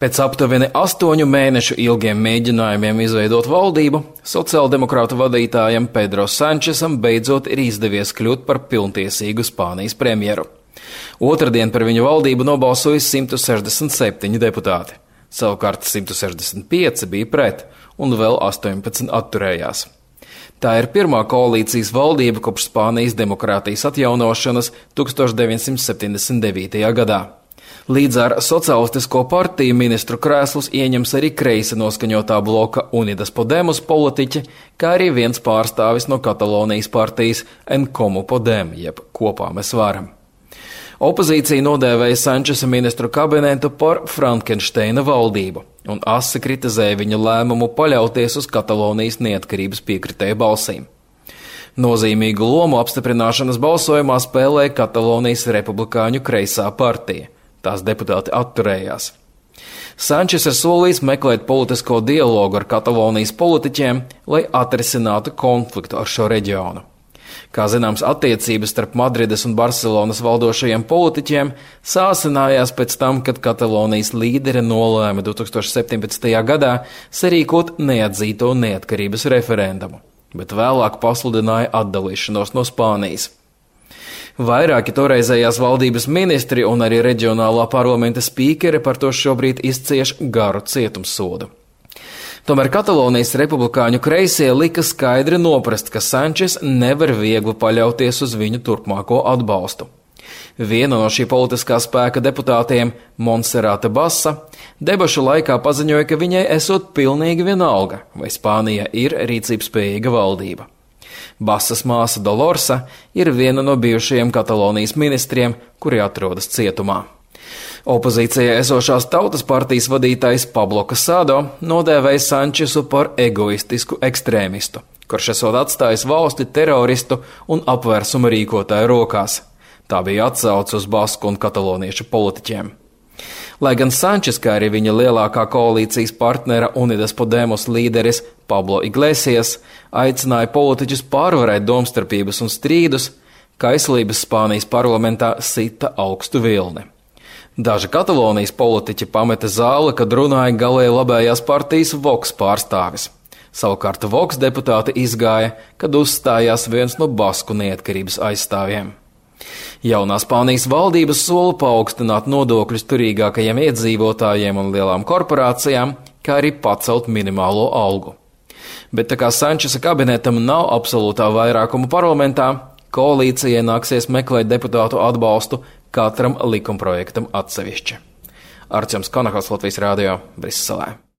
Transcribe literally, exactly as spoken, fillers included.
Pēc aptuveni astoņu mēnešu ilgiem mēģinājumiem izveidot valdību, sociāldemokrātu vadītājam Pedro Sančesam beidzot ir izdevies kļūt par pilntiesīgu Spānijas premjeru. Otradien par viņu valdību nobalsoja simt sešdesmit septiņi deputāti, savukārt simt sešdesmit pieci bija pret un vēl astoņpadsmit atturējās. Tā ir pirmā koalīcijas valdība kopš Spānijas demokrātijas atjaunošanas tūkstoš deviņsimt septiņdesmit devītajā gadā. Līdz ar Socialistisko partiju ministru krēslus ieņems arī kreisi noskaņotā bloka Unidas Podemos politiķi, kā arī viens pārstāvis no Katalonijas partijas En Comú Podem, jeb Kopā mēs varam. Opozīcija nodēvēja Sančesa ministru kabinetu par Frankensteina valdību un asi kritizēja viņa lēmumu paļauties uz Katalonijas neatkarības piekritēju balsīm. Nozīmīgu lomu apstiprināšanas balsojumā spēlēja Katalonijas republikāņu kreisā partija. Tās deputāti atturējās. Sančes ir solījis meklēt politisko dialogu ar Katalonijas politiķiem, lai atrisinātu konfliktu ar šo reģionu. Kā zināms, attiecības starp Madrides un Barcelonas valdošajiem politiķiem sāsinājās pēc tam, kad Katalonijas līdere nolēma divtūkstoš septiņpadsmitajā gadā sarīkot neatzīto neatkarības referendumu, bet vēlāk pasludināja atdalīšanos no Spānijas. Vairāki toreizējās valdības ministri un arī reģionālā parlamenta spīkeri par to šobrīd izcieš garu cietumsodu. Tomēr Katalonijas republikāņu kreisie lika skaidri noprast, ka Sančes nevar viegli paļauties uz viņu turpmāko atbalstu. Viena no šī politiskā spēka deputātiem, Montserrate Basa, debašu laikā paziņoja, ka viņai esot pilnīgi vienalga, vai Spānija ir rīcībspējīga valdība. Basas māsa Dolorsa ir viena no bijušajiem Katalonijas ministriem, kuri atrodas cietumā. Opozīcijā esošās Tautas partijas vadītājs Pablo Casado nodēvēja Sančesu par egoistisku ekstrēmistu, kurš esot atstājis valsti teroristu un apvērsuma rīkotāju rokās. Tā bija atsauce uz basku un kataloniešu politiķiem. Lai gan Sančes, kā arī viņa lielākā koalīcijas partnera Unidas Podemos līderis Pablo Iglesias aicināja politiķus pārvarēt domstarpības un strīdus, kaislības Spānijas parlamentā sita augstu vilni. Daži Katalonijas politiķi pameta zāli, kad runāja galēji labējās partijas Vox pārstāvis. Savukārt Vox deputāti izgāja, kad uzstājās viens no basku neatkarības aizstāvjiem. Jaunā Spānijas valdības sola paaugstināt nodokļus turīgākajiem iedzīvotājiem un lielām korporācijām, kā arī pacelt minimālo algu. Bet tā kā Sančesa kabinetam nav absolūtā vairākuma parlamentā, koalīcijai nāksies meklēt deputātu atbalstu katram likumprojektam atsevišķi. Arčuns Konahals, Latvijas Rādio, Briselē.